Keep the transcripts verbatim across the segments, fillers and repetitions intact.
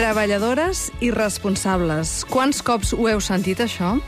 Treballadores i responsables. Quants cops ho heu sentit, això?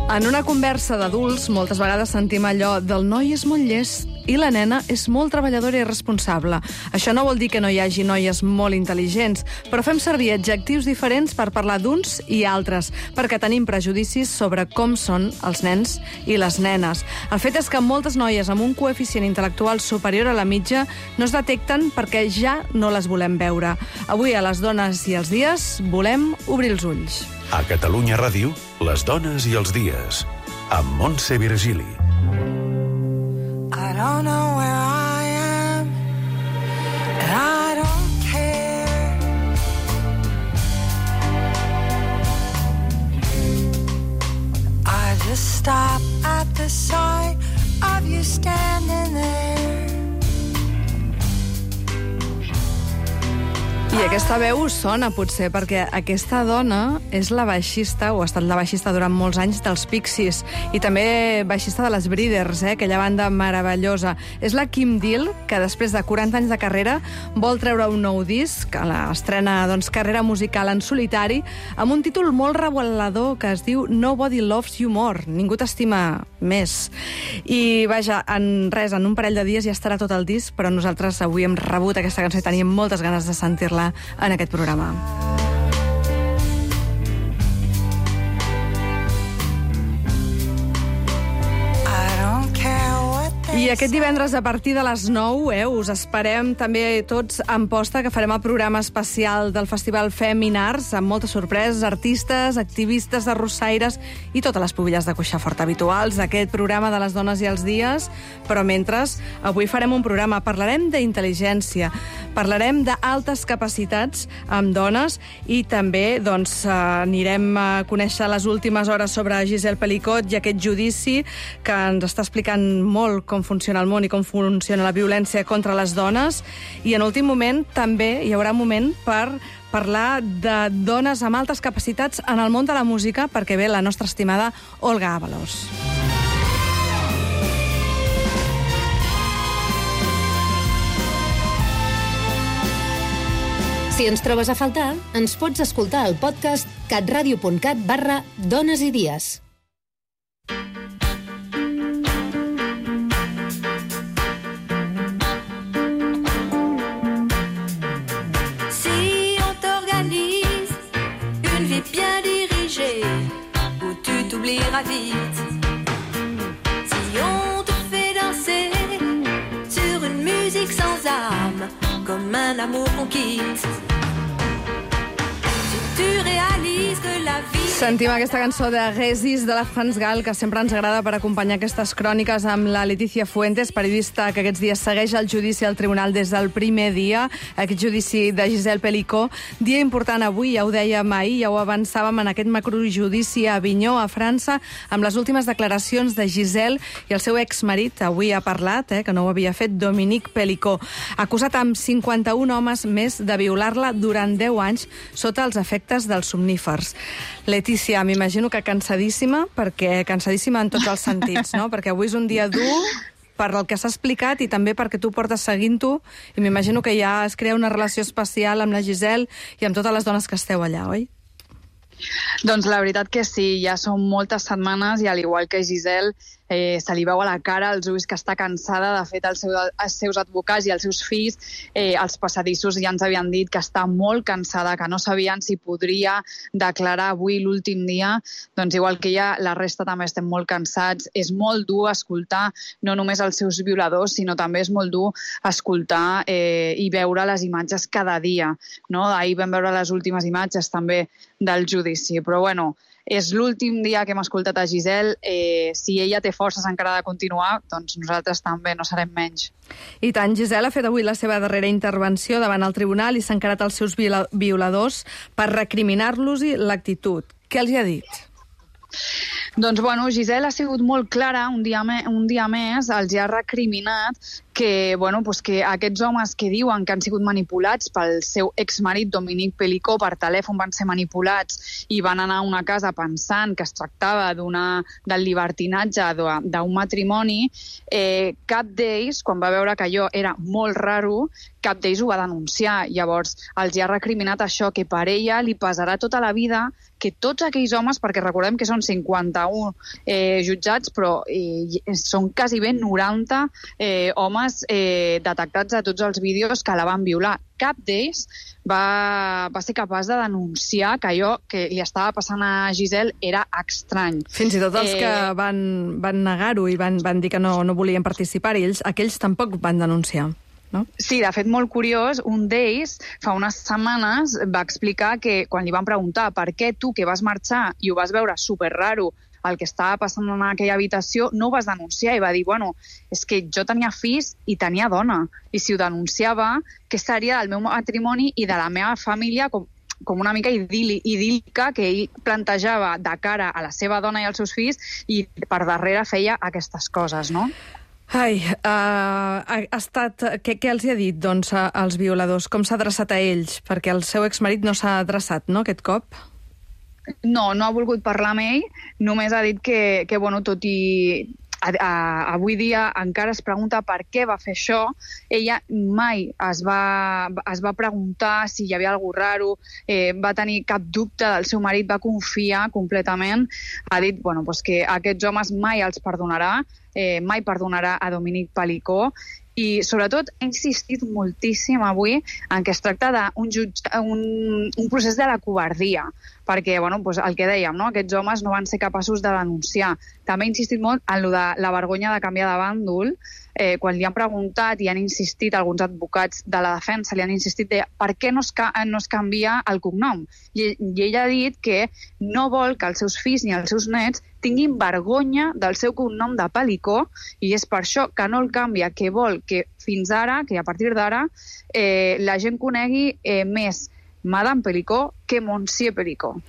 En una conversa d'adults, moltes vegades sentim allò del noi és molt llest i la nena és molt treballadora i responsable. Això no vol dir que no hi hagi noies molt intel·ligents, però fem servir adjectius diferents per parlar d'uns i altres, perquè tenim prejudicis sobre com són els nens i les nenes. El fet és que moltes noies amb un coeficient intel·lectual superior a la mitja no es detecten perquè ja no les volem veure. Avui, a Les dones i els dies, volem obrir els ulls. A Catalunya Ràdio, Les dones i els dies, amb Montse Virgili. I don't know where I am, and I don't care. I just stop at the sight of you standing there. I aquesta veu sona, potser, perquè aquesta dona és la baixista, o ha estat la baixista durant molts anys, dels Pixies, i també baixista de les Breeders, eh, aquella banda meravellosa. És la Kim Deal, que després de quaranta anys de carrera vol treure un nou disc, que estrena doncs, carrera musical en solitari, amb un títol molt revelador que es diu Nobody Loves You More, ningú t'estima més. I, vaja, en res, en un parell de dies ja estarà tot el disc, però nosaltres avui hem rebut aquesta cançó i teníem moltes ganes de sentir-la en aquest programa. I aquest divendres, a partir de les nou, eh, us esperem també tots en posta, que farem el programa especial del Festival Feminars, amb moltes sorpreses, artistes, activistes, arrossaires i totes les pubilles de cuixar fort habituals d'aquest programa de Les dones i els dies. Però mentre, avui farem un programa, parlarem d'intel·ligència, parlarem d'altes capacitats amb dones i també doncs, anirem a conèixer les últimes hores sobre Giselle Pelicot i aquest judici que ens està explicant molt com funciona el món i com funciona la violència contra les dones. I en últim moment també hi haurà un moment per parlar de dones amb altes capacitats en el món de la música, perquè ve la nostra estimada Olga Ábalos. Si ens trobes a faltar, ens pots escoltar al podcast catradio.cat barra dones i dies. Si on t'organise une vie bien dirigée où tu t'oublieras vite, si on te fait danser sur une musique sans âme comme un amour qu'on quitte, si tu réalises que la vie... Sentim aquesta cançó de Résis de la France Gall, que sempre ens agrada per acompanyar aquestes cròniques amb la Leticia Fuentes, periodista que aquests dies segueix el judici al tribunal des del primer dia, aquest judici de Giselle Pelicot. Dia important avui, ja ho dèiem ahir, ja ho avançàvem en aquest macrojudici a Avinyó, a França, amb les últimes declaracions de Giselle i el seu exmarit, avui ha parlat, eh, que no ho havia fet, Dominique Pelicot, acusat amb cinquanta-un homes més de violar-la durant deu anys sota els efectes dels somnífers. Letícia, m'imagino que cansadíssima, perquè cansadíssima en tots els sentits, no? Perquè avui és un dia dur per el que s'ha explicat i també perquè tu portes seguint-ho, i m'imagino que ja es crea una relació especial amb la Giselle i amb totes les dones que esteu allà, oi? Doncs la veritat que sí, ja són moltes setmanes i al igual que Giselle eh, se li veu a la cara, als ulls, que està cansada. De fet, els, seu, els seus advocats i els seus fills, eh, els passadissos ja ens havien dit que està molt cansada, que no sabien si podria declarar avui l'últim dia. Doncs igual que ella, la resta també estem molt cansats. És molt dur escoltar no només els seus violadors, sinó també és molt dur escoltar eh, i veure les imatges cada dia, no? Ahir vam veure les últimes imatges també del judici, però bueno, és l'últim dia que hem escoltat a Giselle. Eh, si ella té forces encara de continuar, doncs nosaltres també no serem menys. I tant, Giselle ha fet avui la seva darrera intervenció davant el tribunal i s'ha encarat als seus violadors per recriminar-los l'actitud. Què els hi ha dit? Doncs, bueno, Giselle ha sigut molt clara, un dia, me, un dia més els hi ha recriminat que, bueno, pues que aquests homes que diuen que han sigut manipulats pel seu exmarit Dominique Pelicot per telèfon van ser manipulats i van anar a una casa pensant que es tractava d'una del llibertinatge d'un matrimoni, eh, cap d'ells, quan va veure que allò era molt raro, cap d'ells ho va denunciar. Llavors, els hi ha recriminat això, que per ella li pesarà tota la vida que tots aquells homes, perquè recordem que són cinquanta-un eh, jutjats, però eh, són quasi ben noranta eh, homes eh, detectats a tots els vídeos que la van violar. Cap d'ells va, va ser capaç de denunciar que allò que li estava passant a Giselle era estrany. Fins i tot els eh... que van, van negar-ho i van, van dir que no, no volien participar, i ells, aquells tampoc van denunciar. No? Sí, de fet, molt curiós, un d'ells fa unes setmanes va explicar que quan li van preguntar per què tu, que vas marxar i ho vas veure superraro el que estava passant en aquella habitació, no ho vas denunciar, i va dir, bueno, és que jo tenia fills i tenia dona, i si ho denunciava, què seria del meu matrimoni i de la meva família, com com una mica idíl·lica que ell plantejava de cara a la seva dona i als seus fills, i per darrere feia aquestes coses, no? Ai, uh, ha estat... Què, què els hi ha dit, doncs, als violadors? Com s'ha adreçat a ells? Perquè el seu exmarit no s'ha adreçat, no, aquest cop? No, no ha volgut parlar amb ell, només ha dit que, que bueno, tot i... A, a, avui dia encara es pregunta per què va fer això. Ella mai es va, es va preguntar si hi havia alguna raro, eh, va tenir cap dubte del seu marit, va confiar completament. Ha dit, bueno, pues que aquests homes mai els perdonarà, eh, mai perdonarà a Dominique Pelicot, i sobretot ha insistit moltíssim avui en que es tracta d'un un, un procés de la covardia, perquè, bueno, pues el que dèiem, no? Aquests homes no van ser capaços de denunciar. També ha insistit molt en lo de la vergonya de canviar de bàndol, eh, quan li han preguntat i han insistit alguns advocats de la defensa, li han insistit de per què no es, no es canvia el cognom. I, I ell ha dit que no vol que els seus fills ni els seus nets tinguin vergonya del seu cognom de Pelicot, i és per això que no el canvia, que vol que fins ara, que a partir d'ara, eh, la gent conegui eh, més Madame Pelicot que Monsieur Pelicot.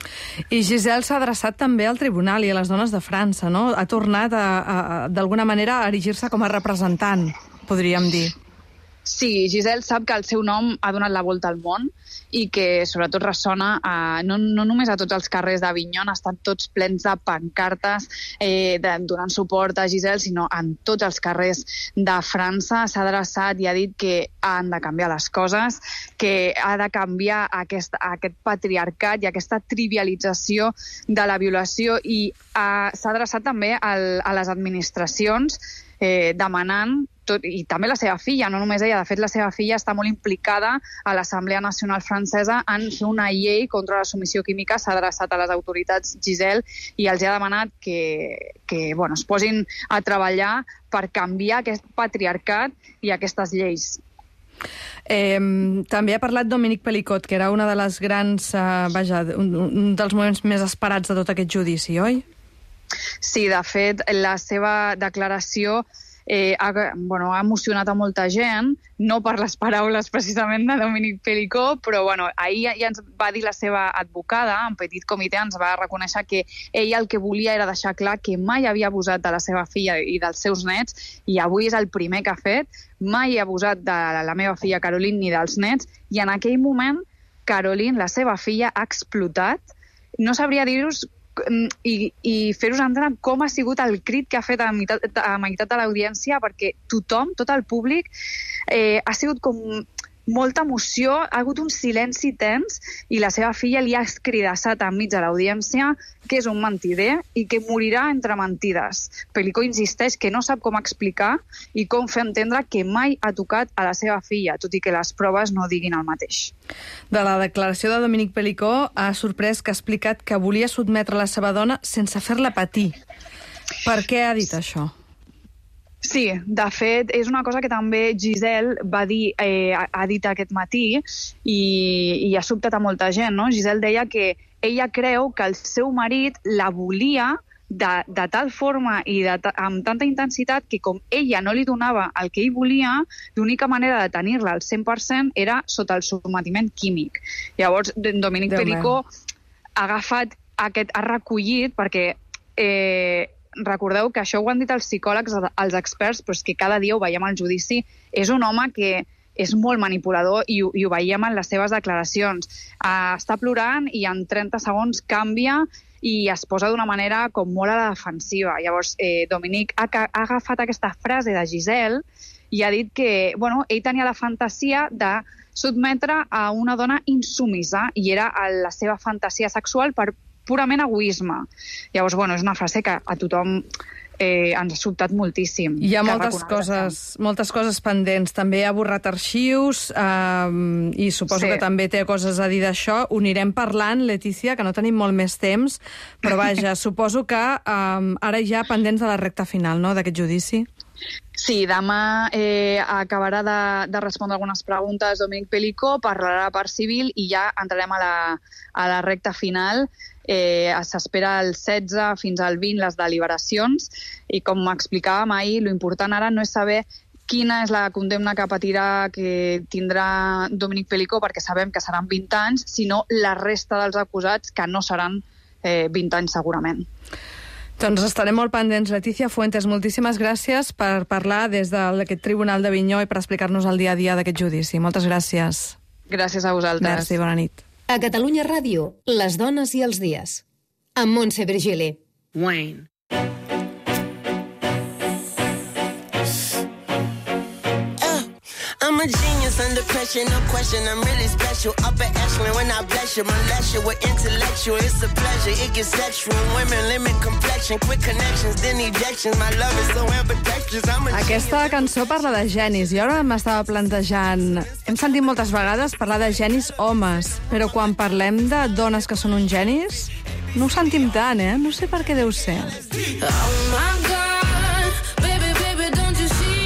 I Giselle s'ha adreçat també al tribunal i a les dones de França, no? Ha tornat a, a, a d'alguna manera a erigir-se com a representant, podríem dir. Sí, Giselle sap que el seu nom ha donat la volta al món i que sobretot ressona a, no, no només a tots els carrers d'Avignon, estan tots plens de pancartes eh, de, donant suport a Giselle, sinó en tots els carrers de França. S'ha adreçat i ha dit que han de canviar les coses, que ha de canviar aquest, aquest patriarcat i aquesta trivialització de la violació, i ha, s'ha adreçat també al, a les administracions eh, demanant tot, i també la seva filla, no només ella, de fet la seva filla està molt implicada a l'Assemblea Nacional Francesa en fer una llei contra la submissió química. S'ha adreçat a les autoritats Giselle i els ha demanat que, que bueno, es posin a treballar per canviar aquest patriarcat i aquestes lleis. Eh, també ha parlat Dominique Pelicot, que era una de les grans, eh, vaja, un, un dels moments més esperats de tot aquest judici, oi? Sí, de fet, la seva declaració Eh, ha, bueno, ha emocionat a molta gent, no per les paraules precisament de Dominique Pelicot, però bueno, ahir ja, ja ens va dir la seva advocada, en petit comitè, ens va reconèixer que ella el que volia era deixar clar que mai havia abusat de la seva filla i dels seus nets, i avui és el primer que ha fet. Mai ha abusat de la meva filla Caroline ni dels nets, i en aquell moment Caroline, la seva filla, ha explotat. No sabria dir-vos i, i fer-vos entendre com ha sigut el crit que ha fet a meitat, a meitat de l'audiència, perquè tothom, tot el públic, eh, ha sigut com molta emoció, ha hagut un silenci tens, i la seva filla li ha escridassat enmig de l'audiència que és un mentider i que morirà entre mentides. Pelicot insisteix que no sap com explicar i com fer entendre que mai ha tocat a la seva filla, tot i que les proves no diguin el mateix. De la declaració de Dominique Pelicot ha sorprès que ha explicat que volia sotmetre la seva dona sense fer-la patir. Per què ha dit això? Sí, de fet, és una cosa que també Giselle va dir, eh, ha dit aquest matí, i, i ha sobtat a molta gent, no? Giselle deia que ella creu que el seu marit la volia de, de tal forma i de, amb tanta intensitat que com ella no li donava el que ell volia, l'única manera de tenir-la al cent per cent era sota el sotmetiment químic. Llavors, Dominique Pelicot ha agafat aquest, ha recollit, perquè eh, recordeu que això ho han dit els psicòlegs, els experts, però és que cada dia ho veiem al judici. És un home que és molt manipulador i, i ho veiem en les seves declaracions. Uh, està plorant i en trenta segons canvia i es posa d'una manera com molt a la defensiva. Llavors, eh, Dominic ha, ha agafat aquesta frase de Giselle i ha dit que bueno, ell tenia la fantasia de sotmetre a una dona insumisa i era la seva fantasia sexual per purament egoisme. Llavors, bueno, és una frase que a tothom eh, ens ha sobtat moltíssim. Hi ha moltes coses, moltes coses pendents. També ha borrat arxius eh, i suposo sí. que també té coses a dir d'això. Ho anirem parlant, Letícia, que no tenim molt més temps, però vaja, suposo que eh, ara ja pendents de la recta final, no?, d'aquest judici. Sí, demà eh, acabarà de, de respondre algunes preguntes Dominic Pelicó, parlarà la part civil i ja entrarem a la, a la recta final. Eh, S'espera el setze fins al vint les deliberacions i, com explicàvem ahir, l'important ara no és saber quina és la condemna que patirà, que tindrà Dominic Pelicó, perquè sabem que seran vint anys, sinó la resta dels acusats, que no seran eh, vint anys segurament. Doncs estarem molt pendents. Letícia Fuentes, moltíssimes gràcies per parlar des d'aquest Tribunal d'Avinyó i per explicar-nos el dia a dia d'aquest judici. Moltes gràcies. Gràcies a vosaltres. Merci, bona nit. A Catalunya Ràdio, les dones i els dies. Amb Montse Virgili. Wayne. I'm a genius under pressure, no question, I'm really special. Upper echelon when I bless you, molest you with intellectual. It's a pleasure, it gets sexual. Women limit complexion, quick connections, then ejections. My love is so ambidextrous, I'm a Aquesta cançó parla de genis i ara m'estava plantejant... Hem sentit moltes vegades parlar de genis homes, però quan parlem de dones que són uns genis, no ho sentim tant, eh? No sé per què deu ser. Oh my God, baby, baby, don't you see?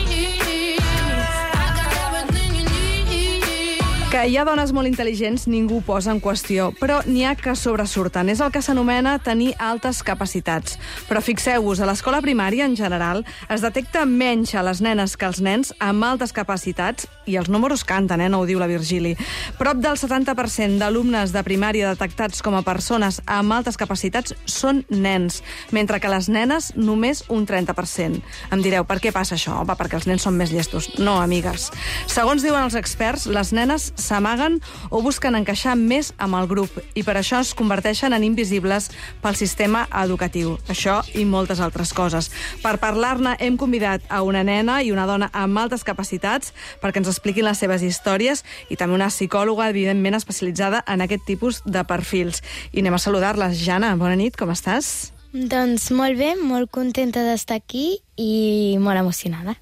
Que hi ha dones molt intel·ligents, ningú ho posa en qüestió, però n'hi ha que sobresurten. És el que s'anomena tenir altes capacitats. Però fixeu-vos, a l'escola primària, en general, es detecta menys a les nenes que als nens amb altes capacitats, i els números canten, eh? No ho diu la Virgili. Prop del setanta per cent d'alumnes de primària detectats com a persones amb altes capacitats són nens, mentre que les nenes només un trenta per cent. Em direu, per què passa això? Home, perquè els nens són més llestos. No, amigues. Segons diuen els experts, les nenes s'amaguen o busquen encaixar més amb el grup i per això es converteixen en invisibles pel sistema educatiu. Això i moltes altres coses. Per parlar-ne hem convidat a una nena i una dona amb altes capacitats perquè ens expliquin les seves històries i també una psicòloga, evidentment, especialitzada en aquest tipus de perfils. I anem a saludar-les. Jana, bona nit, com estàs? Doncs molt bé, molt contenta d'estar aquí i molt emocionada.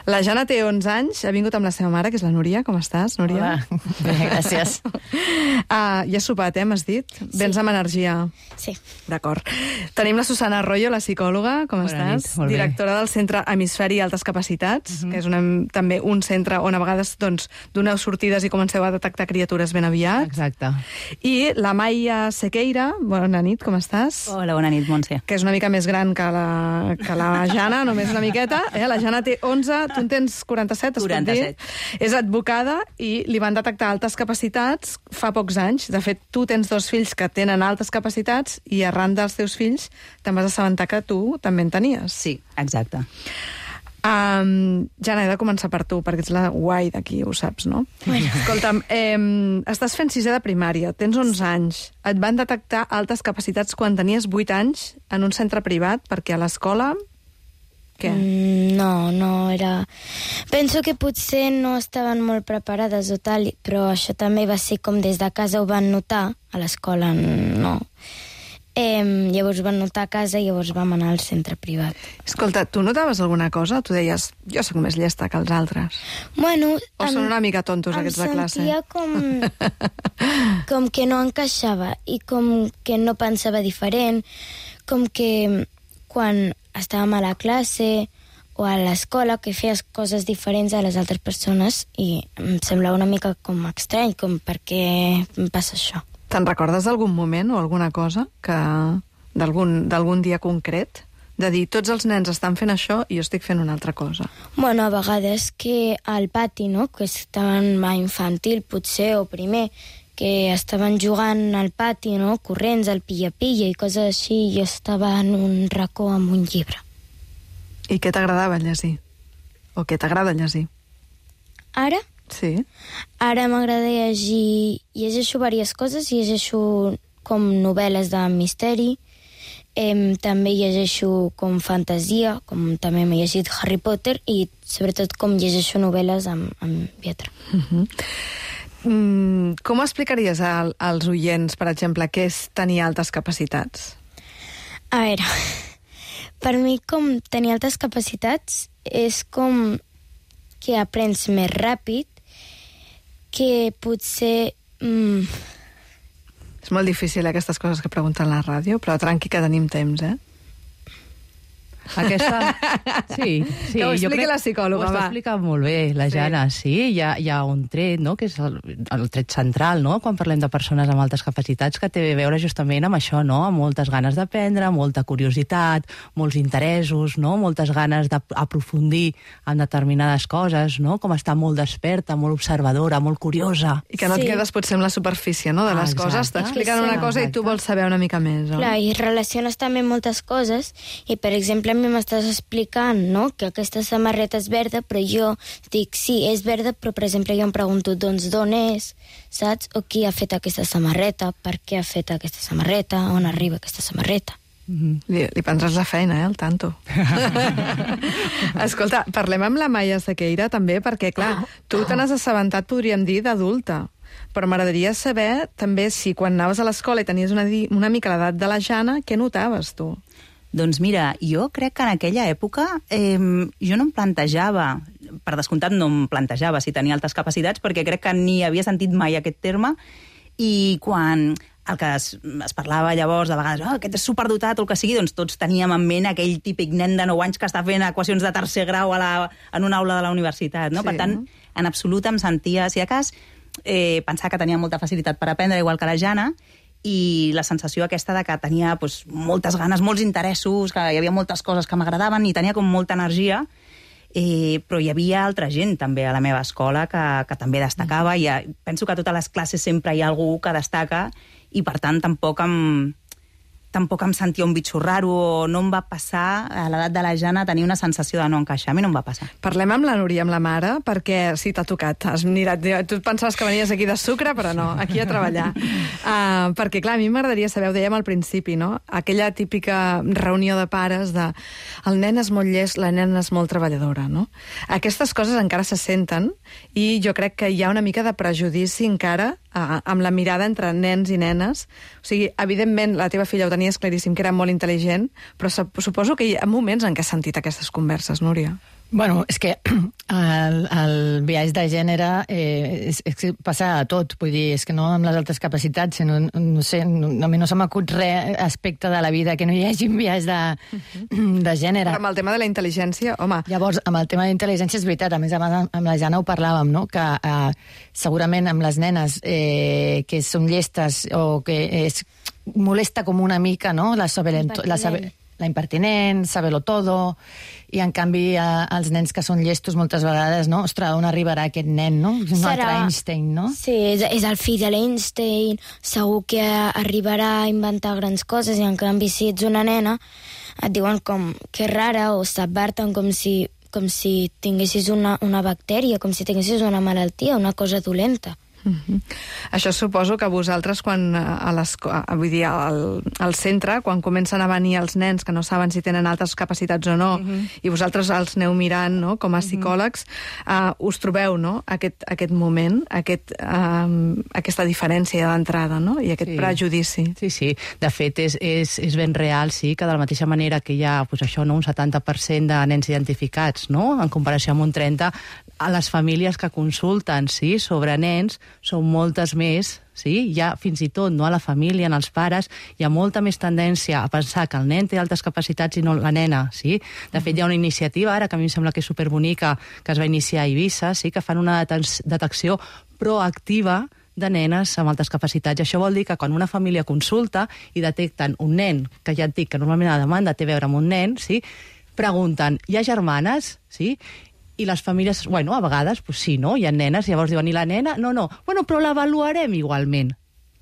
La Jana té onze anys, ha vingut amb la seva mare, que és la Núria. Com estàs, Núria? Hola, bé, gràcies. Ah, ja has sopat, eh, m'has dit? Sí. Vens amb energia. Sí. D'acord. Tenim la Susana Arroyo, la psicòloga. Com Bona estàs? nit, molt bé. Directora del Centre Hemisferi Altes Capacitats, uh-huh. que és una, també un centre on a vegades doncs, doneu sortides i comenceu a detectar criatures ben aviat. Exacte. I la Maia Sequeira, bona nit, com estàs? Hola, bona nit, Montse. Que és una mica més gran que la, que la Jana, només una miqueta. Eh? La Jana té onze, tu en tens quaranta-set, es quaranta-set. pot dir? És advocada i li van detectar altes capacitats fa pocs anys. De fet, tu tens dos fills que tenen altes capacitats i arran dels teus fills te'n vas assabentar que tu també en tenies. Sí, exacte. Um, Jana, he de començar per tu, perquè ets la guai d'aquí, ho saps, no? Bueno. Escolta'm, eh, estàs fent sisè de primària, tens onze anys. Et van detectar altes capacitats quan tenies vuit anys en un centre privat, perquè a l'escola... Què? Mm, no, no era... Penso que potser no estaven molt preparades o tal, però això també va ser com des de casa ho van notar, a l'escola no. Eh, llavors van notar a casa i llavors vam anar al centre privat. Escolta, tu notaves alguna cosa? Tu deies, jo sóc més llesta que els altres. Bueno... O són una mica tontos aquests de classe? Em sentia com, com que no encaixava i com que no pensava diferent, com que quan estàvem a la classe o a l'escola que feies coses diferents a les altres persones i em semblava una mica com estrany, com per què em passa això. Te'n recordes d'algun moment o alguna cosa que d'algun d'algun dia concret? De dir, tots els nens estan fent això i jo estic fent una altra cosa. Bueno, a vegades que al pati, no?, que estaven a infantil, potser, o primer, que estaven jugant al pati, no? Corrents, al pilla-pilla i coses així, i jo estava en un racó amb un llibre. I què t'agradava llegir? O què t'agrada llegir? Ara? Sí. Ara m'agrada llegir... Llegeixo diverses coses, llegeixo com novel·les de misteri, eh, també llegeixo com fantasia, com també m'he llegit Harry Potter, i sobretot com llegeixo novel·les amb, amb lletra. Uh-huh. Mm, com explicaries al, als oients, per exemple, què és tenir altes capacitats? A veure, per mi com tenir altes capacitats és com que aprens més ràpid, que potser... Mm... És molt difícil aquestes coses que pregunten a la ràdio, però tranqui que tenim temps, eh? Aquesta... Sí, sí. Que ho jo expliqui crec... la psicòloga, ho està va. explicant molt bé, la Jana, sí. sí hi, ha, hi ha un tret, no?, que és el, el tret central, no?, quan parlem de persones amb altes capacitats, que té a veure justament amb això, no?, amb moltes ganes d'aprendre, molta curiositat, molts interessos, no?, moltes ganes d'aprofundir en determinades coses, no?, com estar molt desperta, molt observadora, molt curiosa. I que no et Sí. quedes potser amb la superfície, no?, de les Ah, coses. exacte. T'expliquen Sí, una sí. cosa i tu vols saber una mica més, no? Clar, i relaciones també moltes coses, i per exemple a mi m'estàs explicant, no?, que aquesta samarreta és verda, però jo dic, sí, és verda, però per exemple jo em pregunto, doncs d'on és, saps? O qui ha fet aquesta samarreta, per què ha fet aquesta samarreta, on arriba aquesta samarreta. Mm-hmm. Li, li prendràs la feina, eh, al tanto. Escolta, parlem amb la Maia Sequeira també, perquè, clar, tu te n'has assabentat, podríem dir, d'adulta. Però m'agradaria saber també si quan anaves a l'escola i tenies una, di- una mica l'edat de la Jana, què notaves tu? Doncs mira, jo crec que en aquella època eh, jo no em plantejava, per descomptat no em plantejava si tenia altes capacitats, perquè crec que ni havia sentit mai aquest terme, i quan el que es, es parlava llavors, de vegades, oh, aquest és superdotat o el que sigui, doncs tots teníem en ment aquell típic nen de nou anys que està fent equacions de tercer grau a la, en una aula de la universitat, no? Sí. Per tant, en absolut em sentia, si de cas, eh, pensar que tenia molta facilitat per aprendre, igual que la Jana, i la sensació aquesta de que tenia doncs, moltes ganes, molts interessos, que hi havia moltes coses que m'agradaven i tenia com molta energia, eh, però hi havia altra gent també a la meva escola que, que també destacava, i eh, penso que a totes les classes sempre hi ha algú que destaca, i per tant tampoc em, tampoc em sentia un bitxo raro, o no em va passar a l'edat de la Jana tenir una sensació de no encaixar. A mi no em va passar. Parlem amb la Núria, amb la mare, perquè sí, t'ha tocat. Has mirat, tu pensaves que venies aquí de sucre, però no, aquí a treballar. Uh, perquè, clar, a mi m'agradaria saber, ho dèiem al principi, no?, aquella típica reunió de pares de el nen és molt llest, la nena és molt treballadora, no? Aquestes coses encara se senten, i jo crec que hi ha una mica de prejudici encara uh, amb la mirada entre nens i nenes. O sigui, evidentment, la teva filla ho tenies claríssim, que era molt intel·ligent, però suposo que hi ha moments en què has sentit aquestes converses, Núria. Bueno, és que el, el biaix de gènere eh, és, és que passa a tot, vull dir, és que no amb les altres capacitats, sinó, no sé, no, a mi no se m'acut res aspecte de la vida que no hi hagi un biaix de, de gènere. Però amb el tema de la intel·ligència, home... Llavors, amb el tema de intel·ligència és veritat, a més, amb la Jana ho parlàvem, no?, que eh, segurament amb les nenes eh, que són llestes o que és, molesta com una mica, no?, la saber-lo la saber, la impertinent, saber-lo todo, i en canvi a, als nens que són llestos moltes vegades, no? Ostres, on arribarà aquest nen, no? És un Serà- altre Einstein, no? Sí, és, és el fill de l'Einstein, segur que arribarà a inventar grans coses, i en canvi si ets una nena et diuen com que rara, o s'adverten com si, com si tinguessis una, una bactèria, com si tinguessis una malaltia, una cosa dolenta. Uh-huh. Això suposo que vosaltres, quan a l'escola, vull dir, al, al centre, quan comencen a venir els nens que no saben si tenen altres capacitats o no, uh-huh. i vosaltres els aneu mirant, no?, com a psicòlegs, uh, us trobeu, no?, aquest, aquest moment, aquest, uh, aquesta diferència d'entrada, no?, i aquest Sí. prejudici. Sí, sí. De fet, és, és, és ben real, sí, que de la mateixa manera que hi ha pues, això, no, un setanta per cent de nens identificats, no?, en comparació amb un trenta, a les famílies que consulten, sí, sobre nens, són moltes més, sí? Hi ha fins i tot, no, a la família, en els pares, hi ha molta més tendència a pensar que el nen té altes capacitats i no la nena, sí? De fet, hi ha una iniciativa ara, que a mi em sembla que és superbonica, que es va iniciar a Eivissa, sí? Que fan una detecció proactiva de nenes amb altes capacitats. I això vol dir que quan una família consulta i detecten un nen, que ja et dic que normalment la demanda té a veure amb un nen, sí? Pregunten, hi ha germanes? Sí? I les famílies, bueno, a vegades, pues sí, no? Hi ha nenes, llavors diuen, i la nena? No, no. Bueno, però l'avaluarem igualment.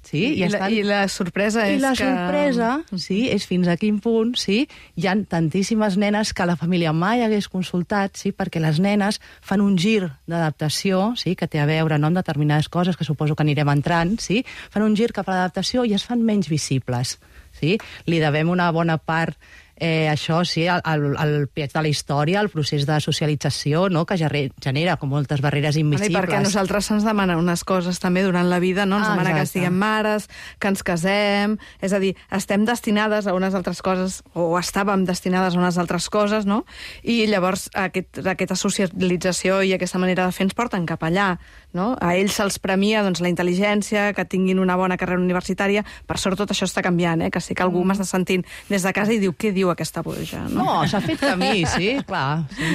Sí? I, I, estan... I la sorpresa I és la que... sorpresa, sí, és fins a quin punt, sí, hi ha tantíssimes nenes que la família mai hagués consultat, sí, perquè les nenes fan un gir d'adaptació, sí, que té a veure no, amb determinades coses, que suposo que anirem entrant, sí, fan un gir cap a l'adaptació i es fan menys visibles, sí? Li devem una bona part Eh, això, sí, el, el, el peatge de la història, el procés de socialització, no?, que genera com moltes barreres invisibles. I perquè a nosaltres se'ns demanen unes coses també durant la vida, no? Ens ah, demana que siguem mares, que ens casem... És a dir, estem destinades a unes altres coses, o estàvem destinades a unes altres coses, no? I llavors aquest, aquesta socialització i aquesta manera de fer ens porten cap allà, no? A ells se'ls premia doncs, la intel·ligència, que tinguin una bona carrera universitària. Per sort tot això està canviant, eh? Que sí que algú m'està sentint des de casa i diu, què diu aquesta boja? No, no s'ha fet camí, sí, clar. Sí.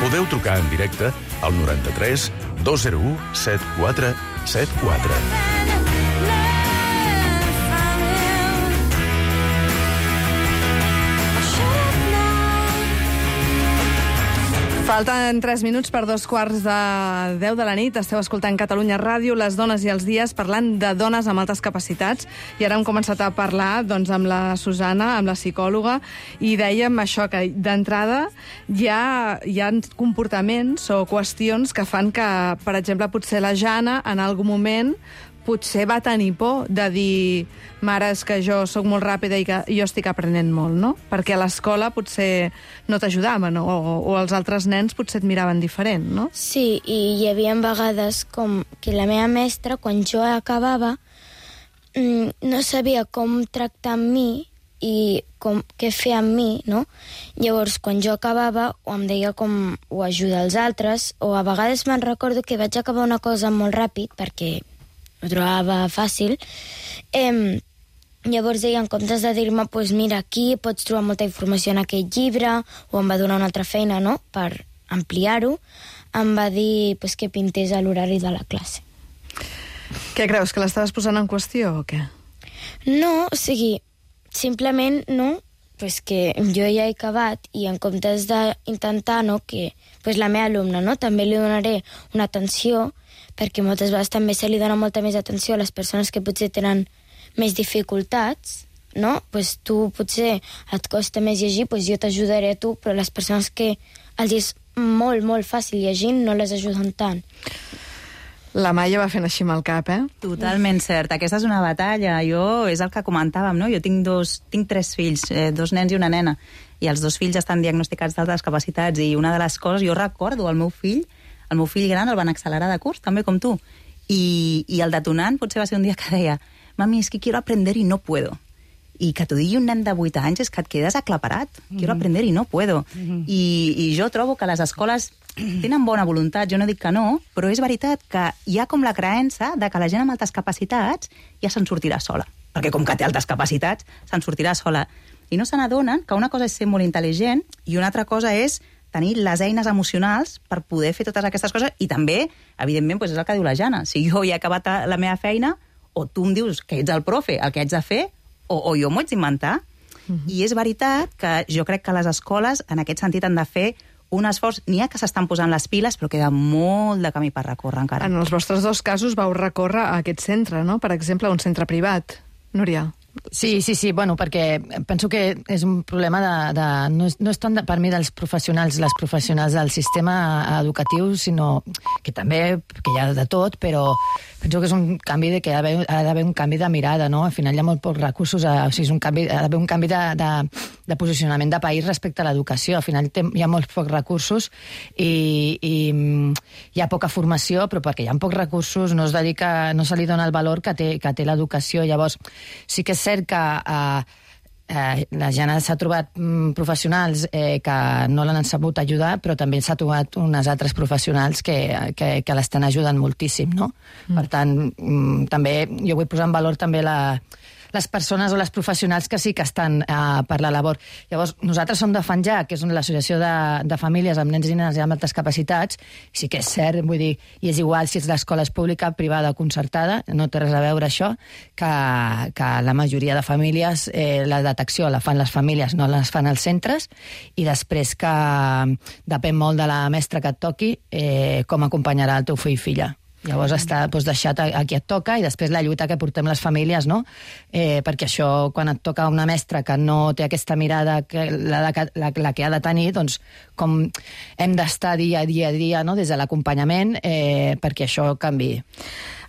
Podeu trucar en directe al noranta-tres dos zero u set quatre set quatre. Falten tres minuts per dos quarts de deu de la nit. Esteu escoltant Catalunya Ràdio, les dones i els dies, parlant de dones amb altes capacitats. I ara hem començat a parlar doncs, amb la Susana, amb la psicòloga, i dèiem això, que d'entrada hi ha, hi ha comportaments o qüestions que fan que, per exemple, potser la Jana, en algun moment, potser va tenir por de dir mare, és que jo sóc molt ràpida i que jo estic aprenent molt, no? Perquè a l'escola potser no t'ajudaven o, o els altres nens potser et miraven diferent, no? Sí, i hi havia vegades com que la meva mestra, quan jo acabava, no sabia com tractar amb mi i com, què fer amb mi, no? Llavors, quan jo acabava, o em deia com ho ajuda als altres, o a vegades me'n recordo que vaig acabar una cosa molt ràpid, perquè ho trobava fàcil. Eh, llavors deia, en comptes de dir-me, pues mira, aquí pots trobar molta informació en aquest llibre, o em va donar una altra feina, no?, per ampliar-ho, em va dir pues, que pintés a l'horari de la classe. Què creus, que l'estaves posant en qüestió o què? No, o sigui, simplement, no, pues que jo ja he acabat i en comptes d'intentar, no, que pues la meva alumna, no, també li donaré una atenció, perquè moltes vegades també se li dona molta més atenció a les persones que potser tenen més dificultats, no? Pues tu potser et costa més llegir, pues jo t'ajudaré a tu, però les persones que els és molt, molt fàcil llegint no les ajuden tant. La Maia va fent així amb el cap, eh? Totalment cert. Aquesta és una batalla. Jo, és el que comentàvem, no? Jo tinc, dos, tinc tres fills, eh, dos nens i una nena, i els dos fills estan diagnosticats d'altres capacitats, i una de les coses, jo recordo el meu fill, el meu fill gran el van accelerar de curs, també com tu. I, i el detonant potser va ser un dia que deia mami, és que quiero aprender y no puedo. I que t'ho digui un nen de vuit anys és que et quedes aclaparat. Mm-hmm. Quiero aprender y no puedo. Mm-hmm. I, I jo trobo que les escoles tenen bona voluntat, jo no dic que no, però és veritat que hi ha com la creença de que la gent amb altes capacitats ja se'n sortirà sola. Perquè com que té altes capacitats, se'n sortirà sola. I no se n'adonen que una cosa és ser molt intel·ligent i una altra cosa és tenir les eines emocionals per poder fer totes aquestes coses, i també, evidentment, doncs és el que diu la Jana. Si jo ja he acabat la meva feina, o tu em dius que ets el profe, el que haig de fer, o, o jo m'ho haig d'inventar. Uh-huh. I és veritat que jo crec que les escoles, en aquest sentit, han de fer un esforç. N'hi ha que s'estan posant les piles, però queda molt de camí per recórrer encara. En els vostres dos casos vau recórrer a aquest centre, no? Per exemple, un centre privat. Núria. Sí, sí, sí, bueno, perquè penso que és un problema de... de no, és, no és tant de, per mi dels professionals, les professionals del sistema educatiu, sinó que també, que hi ha de tot, però penso que és un canvi de que ha d'haver un canvi de mirada, no? Al final hi ha molt pocs recursos, o sigui, és un canvi, ha d'haver un canvi de, de, de posicionament de país respecte a l'educació. Al final hi ha molts pocs recursos i, i hi ha poca formació, però perquè hi ha pocs recursos no es dedica, no se li dona el valor que té, que té l'educació. Llavors, sí que és cert que eh, eh, la gent s'ha trobat mm, professionals eh, que no l'han sabut ajudar, però també s'ha trobat unes altres professionals que, que, que l'estan ajudant moltíssim, no? Mm. Per tant, mm, també jo vull posar en valor també la, les persones o les professionals que sí que estan eh, per la labor. Llavors, nosaltres som de FANJA, que és l'associació de, de famílies amb nens i nenes amb altres capacitats, sí que és cert, vull dir, i és igual si és l'escola és pública, privada o concertada, no té res a veure això, que, que la majoria de famílies, eh, la detecció la fan les famílies, no les fan els centres, i després que depèn molt de la mestra que et toqui eh, com acompanyarà el teu fill i filla. Llavors està doncs, deixat a, a qui et toca i després la lluita que portem les famílies, no? Eh, perquè això, quan et toca una mestra que no té aquesta mirada que la, la, la, la que ha de tenir, doncs com hem d'estar dia a dia a dia, no? Des de l'acompanyament, eh, perquè això canviï.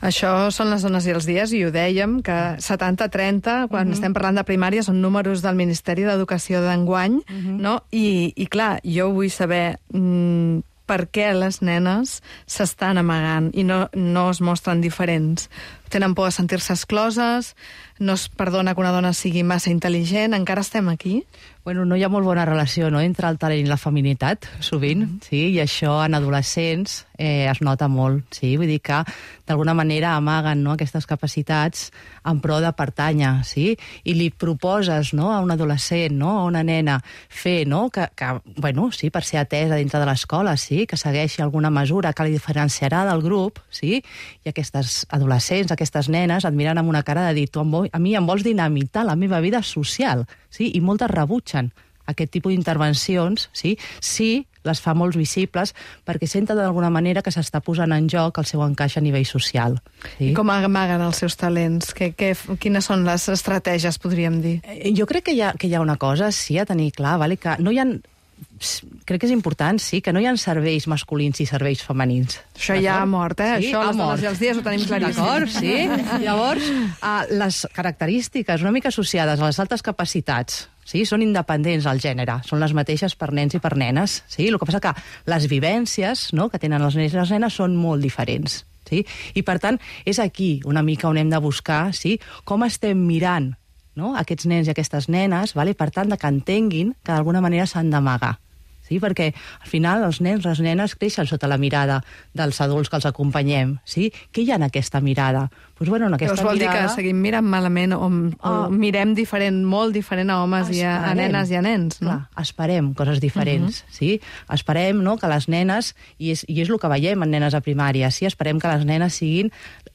Això són les dones i els dies, i ho dèiem, que setanta trenta, quan uh-huh. estem parlant de primària, són números del Ministeri d'Educació d'enguany, uh-huh. no? I, I clar, jo vull saber mmm, per què les nenes s'estan amagant i no, no es mostren diferents. Tenen por de sentir-se excloses, no es perdona que una dona sigui massa intel·ligent, encara estem aquí? Bueno, no hi ha molt bona relació, no?, entre el talent i la feminitat, sovint, mm. sí, i això en adolescents eh, es nota molt, sí, vull dir que d'alguna manera amaguen, no?, aquestes capacitats en pro de pertànyer, sí, i li proposes, no?, a un adolescent, no?, a una nena, fer, no?, que, que bueno, sí, per ser atesa dintre de l'escola, sí, que segueixi alguna mesura que li diferenciarà del grup, sí, i aquestes adolescents, aquestes nenes et miren amb una cara de dir, tu a mi em vols dinamitar la meva vida social, sí, i moltes rebutgen aquest tipus d'intervencions, sí, sí, les fa molt visibles perquè senten d'alguna manera que s'està posant en joc el seu encaix a nivell social. Sí? I com amaguen els seus talents? Que, que, quines són les estratègies, podríem dir? Eh, jo crec que hi ha, que hi ha una cosa, sí, a tenir clar, vale? Que no hi ha... crec que és important, sí, que no hi ha serveis masculins i serveis femenins. Això ja ha mort, eh? Sí, això les dones i els dies ho tenim claríssim. D'acord, sí. Llavors, uh, les característiques una mica associades a les altes capacitats, sí, són independents al gènere, són les mateixes per nens i per nenes, sí? El que passa que les vivències, no?, que tenen els nens i les nenes són molt diferents, sí? I per tant, és aquí una mica on hem de buscar, sí, com estem mirant, no?, aquests nens i aquestes nenes, vale? Per tant, que entenguin que d'alguna manera s'han d'amagar. Sí? Perquè al final els nens, les nenes creixen sota la mirada dels adults que els acompanyem. Sí? Què hi ha en aquesta mirada? Pues, bueno, en aquesta Llavors vol mirada... dir que seguim mirant malament o, o oh. mirem diferent, molt diferent a homes esperem. i a, a nenes i a nens, no? Clar, esperem coses diferents, uh-huh. sí? Esperem, no?, que les nenes, i és, i és el que veiem en nenes a primària, sí? Esperem que les nenes siguin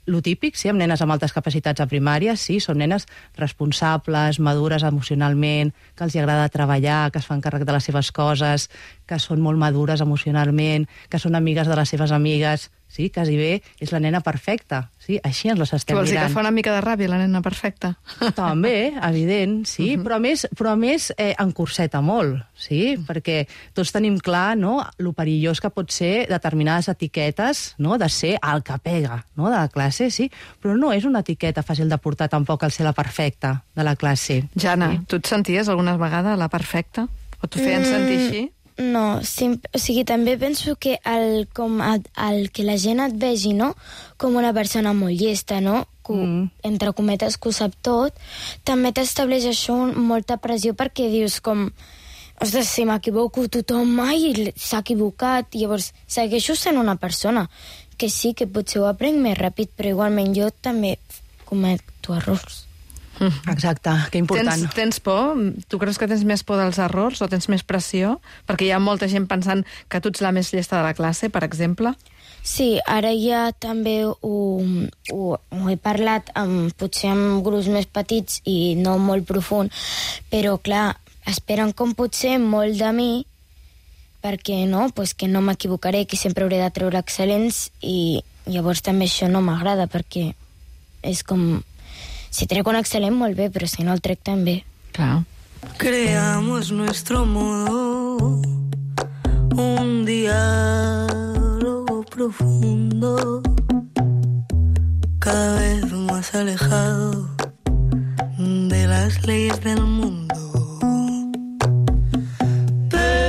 lo típic, sí, amb nenes amb altes capacitats a primària, sí, són nenes responsables, madures emocionalment, que els hi agrada treballar, que es fan càrrec de les seves coses, que són molt madures emocionalment, que són amigues de les seves amigues, sí, quasi bé, és la nena perfecta, sí, així ens les estem mirant. Vols dir mirant. que fa una mica de ràbia la nena perfecta? També, evident, sí, uh-huh. però a més, però a més eh, encorseta molt, sí, uh-huh. perquè tots tenim clar, no?, lo perillós que pot ser determinades etiquetes, no?, de ser el que pega, no?, de la classe, sí, però no és una etiqueta fàcil de portar tampoc el ser la perfecta de la classe. Jana, sí? Tu et senties alguna vegada la perfecta? O t'ho feien mm. sentir així? No, sim, o sigui, també penso que el, com el, el que la gent et vegi, no?, com una persona molt llesta, no?, que, mm. entre cometes, que ho sap tot, també t'estableix això molta pressió perquè dius com, ostres, si m'equivoco tothom mai s'ha equivocat, i llavors segueixo sent una persona que sí, que potser ho aprenc més ràpid, però igualment jo també cometo errors. Exacte, que important. Tens, tens por? Tu creus que tens més por dels errors o tens més pressió? Perquè hi ha molta gent pensant que tu ets la més llesta de la classe, per exemple. Sí, ara ja també ho, ho, ho he parlat amb, potser amb grups més petits i no molt profund, però clar, esperen com potser molt de mi, perquè no, pues que no m'equivocaré, que sempre hauré de treure excel·lents, i llavors també això no m'agrada, perquè és com... Si trec un excel·lent, molt bé, però si no el trec també. Clar. Creamos nuestro modo, un diálogo profundo, cada vez más alejado de las leyes del mundo. Pero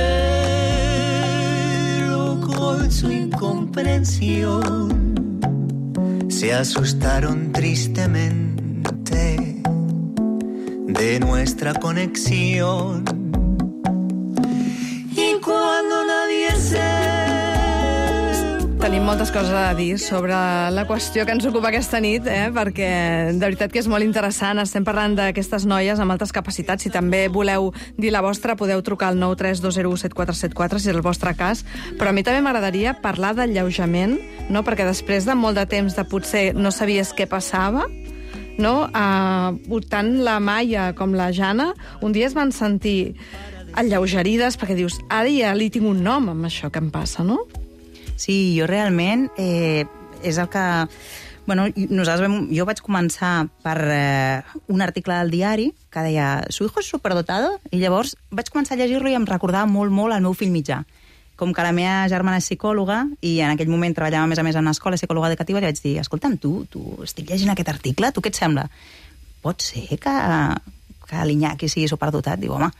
con su incomprensión se asustaron tristemente de nuestra conexión. Y cuando nadie se tenim moltes coses a dir sobre la qüestió que ens ocupa aquesta nit, eh? perquè de veritat que és molt interessant. Estem parlant d'aquestes noies amb altes capacitats. Si també voleu dir la vostra, podeu trucar al nou tres dos zero u set quatre set quatre, si és el vostre cas. Però a mi també m'agradaria parlar d'alleujament, no? perquè després de molt de temps de potser no sabies què passava, no? Uh, tant la Maia com la Jana un dia es van sentir alleugerides perquè dius, ara ja li tinc un nom amb això que em passa, no? Sí, jo realment eh, és el que... Bueno, nosaltres vam, jo vaig començar per eh, un article del diari que deia «Su hijo es superdotado?» i llavors vaig començar a llegir-lo i em recordava molt, molt el meu fill mitjà. Com que la meva germana és psicòloga i en aquell moment treballava a més a més en una escola psicòloga educativa, li vaig dir, escolta'm, tu, tu estic llegint aquest article, tu què et sembla? Pot ser que, que l'Iñaki sigui superdotat? Diu, home,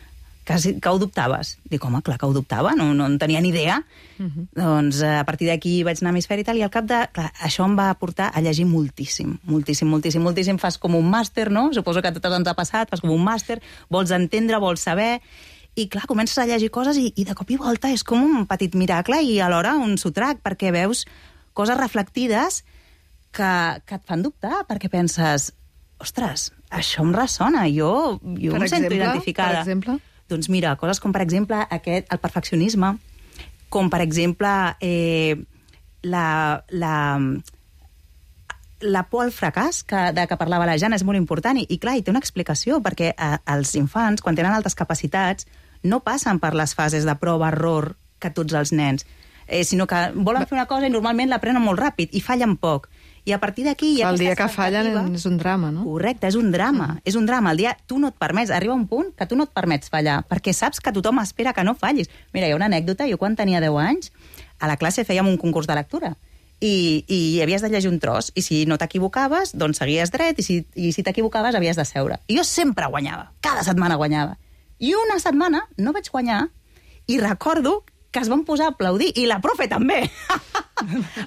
que, que ho dubtaves? Dic, home, clar que ho dubtava, no, no en tenia ni idea. Uh-huh. Doncs a partir d'aquí vaig anar a Hemisferi i tal, i al cap de... Clar, això em va portar a llegir moltíssim, moltíssim, moltíssim, moltíssim. Fas com un màster, no? Suposo que a totes ens ha passat, fas com un màster, vols entendre, vols saber... I clar, comences a llegir coses i, i de cop i volta és com un petit miracle i alhora un sotrac, perquè veus coses reflectides que, que et fan dubtar, perquè penses, ostres, això em ressona, jo, jo em sento identificada. Per exemple? Doncs mira, coses com, per exemple, aquest, el perfeccionisme, com, per exemple, eh, la, la, la por al fracàs que, de què parlava la Jana és molt important. I, i clar, hi té una explicació, perquè eh, els infants, quan tenen altes capacitats, no passen per les fases de prova-error que tots els nens, eh, sinó que volen fer una cosa i normalment l'aprenen molt ràpid i fallen poc. I a partir d'aquí hi ha el aquesta dia que fallen és un drama, no? Correcte, és un drama. Mm. És un drama. El dia tu no et permets, arriba un punt que tu no et permets fallar, perquè saps que tothom espera que no fallis. Mira, hi ha una anècdota, jo quan tenia deu anys, a la classe fèiem un concurs de lectura i, i havies de llegir un tros, i si no t'equivocaves, doncs seguies dret, i si, i si t'equivocaves havies de seure. I jo sempre guanyava, cada setmana guanyava. I una setmana no vaig guanyar i recordo que es van posar a aplaudir, i la profe també,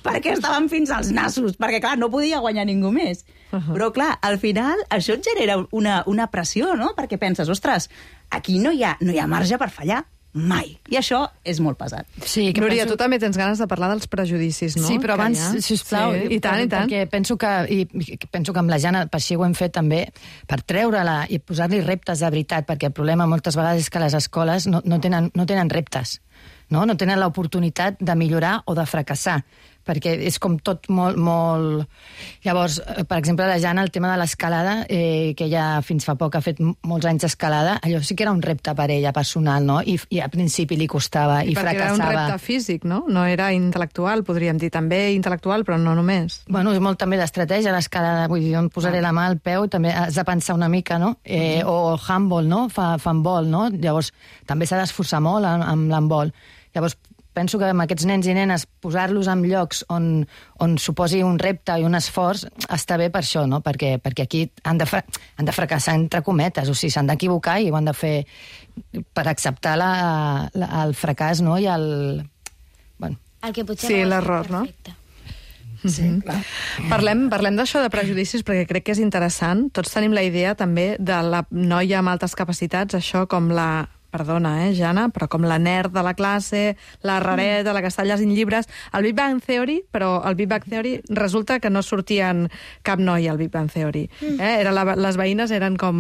perquè estaven fins als nassos, perquè, clar, no podia guanyar ningú més. Uh-huh. Però, clar, al final això et genera una, una pressió, no? Perquè penses, ostres, aquí no hi ha, no hi ha marge per fallar mai. I això és molt pesat. Sí, que Núria, penso... tu també tens ganes de parlar dels prejudicis, no? Sí, però que abans, ha... sisplau, sí, i tant, i tant. Perquè penso que, i, penso que amb la Jana, per així ho hem fet també, per treure-la i posar-li reptes de veritat, perquè el problema moltes vegades és que les escoles no, no, tenen, no tenen reptes, no? No tenen l'oportunitat de millorar o de fracassar, perquè és com tot molt, molt... Llavors, per exemple, la Jana, el tema de l'escalada, eh, que ella fins fa poc ha fet molts anys d'escalada, allò sí que era un repte per ella, personal, no? I, i al principi li costava i, i fracassava. Perquè era un repte físic, no? No era intel·lectual, podríem dir. També intel·lectual, però no només. Bueno, és molt també d'estratègia, l'escalada. Vull dir, jo em posaré ah. la mà al peu, també has de pensar una mica, no? Eh, uh-huh. O handball, no? Fa, handball, no? Llavors, també s'ha d'esforçar molt amb, amb l'handball. Llavors, penso que amb aquests nens i nenes posar-los en llocs on, on suposi un repte i un esforç està bé per això, no? Perquè, perquè aquí han de, fra han de fracassar entre cometes, o sigui, s'han d'equivocar i ho han de fer per acceptar la, la, el fracàs, no? I el... Bueno. El que potser sí, no l'error, no? Sí, clar. Parlem, parlem d'això de prejudicis perquè crec que és interessant. Tots tenim la idea també de la noia amb altes capacitats, això com la... Perdona, eh, Jana, però com la nerd de la classe, la rareta, la que està llegint llibres, el Big Bang Theory, però el Big Bang Theory resulta que no sortien cap noia al Big Bang Theory. Eh? Era la, les veïnes eren com...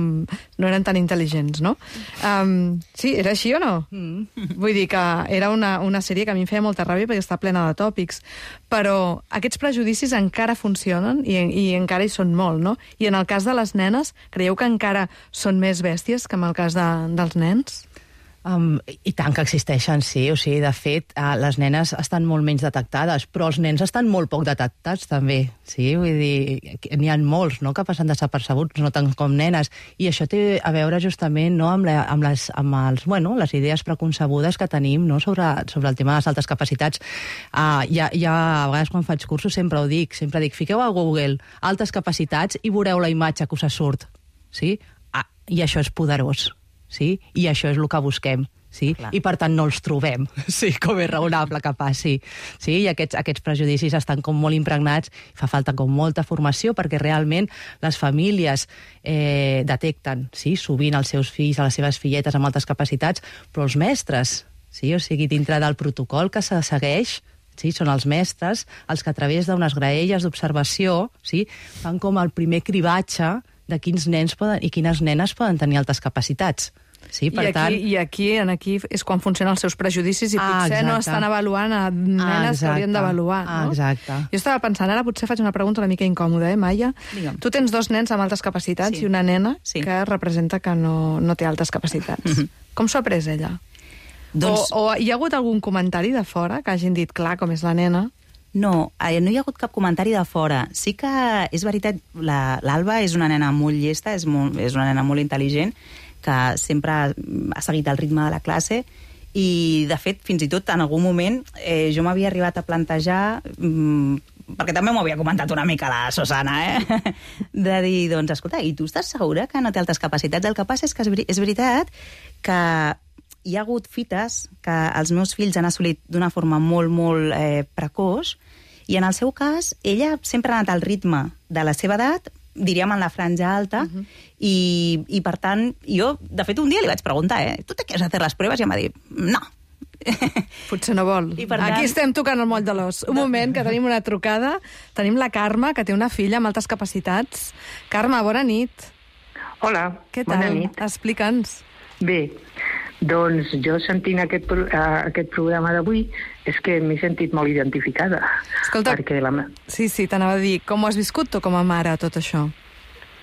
no eren tan intel·ligents, no? Um, sí, era així o no? Mm. Vull dir que era una, una sèrie que a mi em feia molta ràbia perquè està plena de tòpics, però aquests prejudicis encara funcionen i, i encara hi són molt, no? I en el cas de les nenes, creieu que encara són més bèsties que en el cas de, dels nens? Um, I tant que existeixen, sí. O sigui, de fet, uh, les nenes estan molt menys detectades, però els nens estan molt poc detectats, també. Sí, vull dir, n'hi ha molts, no?, que passen desapercebuts, no tant com nenes. I això té a veure justament, no?, amb, la, amb, les, amb els, bueno, les idees preconcebudes que tenim, no?, sobre, sobre el tema de les altes capacitats. Uh, ja, ja, a vegades quan faig cursos sempre ho dic, sempre dic, fiqueu a Google altes capacitats i veureu la imatge que us surt. Sí? Ah, i això és poderós. Sí? I això és el que busquem, sí? I per tant no els trobem, sí, com és raonable que passi, sí? I aquests, aquests prejudicis estan com molt impregnats, fa falta com molta formació perquè realment les famílies eh, detecten, sí, sovint els seus fills, a les seves filletes amb altes capacitats, però els mestres, sí? O sigui, dintre del protocol que se segueix, sí? Són els mestres els que a través d'unes graelles d'observació, sí? fan com el primer cribatge de quins nens poden, i quines nenes poden tenir altes capacitats. Sí, per I, aquí, tant... I aquí en aquí és quan funcionen els seus prejudicis i Ah, potser exacte. no estan avaluant a nenes Ah, que haurien d'avaluar. Ah, No? exacte. Jo estava pensant, ara potser faig una pregunta una mica incòmoda, eh, Maia? Digue'm. Tu tens dos nens amb altes capacitats Sí. i una nena Sí. que representa que no, no té altes capacitats. Mhm. Com s'ho ha pres ella? Doncs- O, o hi ha hagut algun comentari de fora que hagin dit, clar, com és la nena? No, eh, no hi ha hagut cap comentari de fora. Sí que és veritat, la- l'Alba és una nena molt llesta, és, molt, és una nena molt intel·ligent, que sempre ha seguit el ritme de la classe i, de fet, fins i tot en algun moment eh, jo m'havia arribat a plantejar, mmm, perquè també m'ho havia comentat una mica la Susana, eh? de dir, doncs, escolta, i tu estàs segura que no té altes capacitats? El que passa és que és, veri és veritat que hi ha hagut fites que els meus fills han assolit d'una forma molt, molt eh, precoç, i en el seu cas, ella sempre ha anat al ritme de la seva edat, diríem en la franja alta, uh -huh. i, i per tant, jo, de fet, un dia li vaig preguntar, eh, ¿tú te quieres hacer las pruebas? I em va dir, no. Potser no vol. I per tant- Aquí estem tocant el moll de l'os. Un moment, que tenim una trucada. Tenim la Carme, que té una filla amb altes capacitats. Carme, bona nit. Hola, Què tal? bona nit. Explica'ns. Bé, doncs jo sentint aquest, pro- eh, aquest programa d'avui és que m'he sentit molt identificada. Escolta, perquè la... me- sí, sí, t'anava a dir, com ho has viscut tu com a mare, tot això?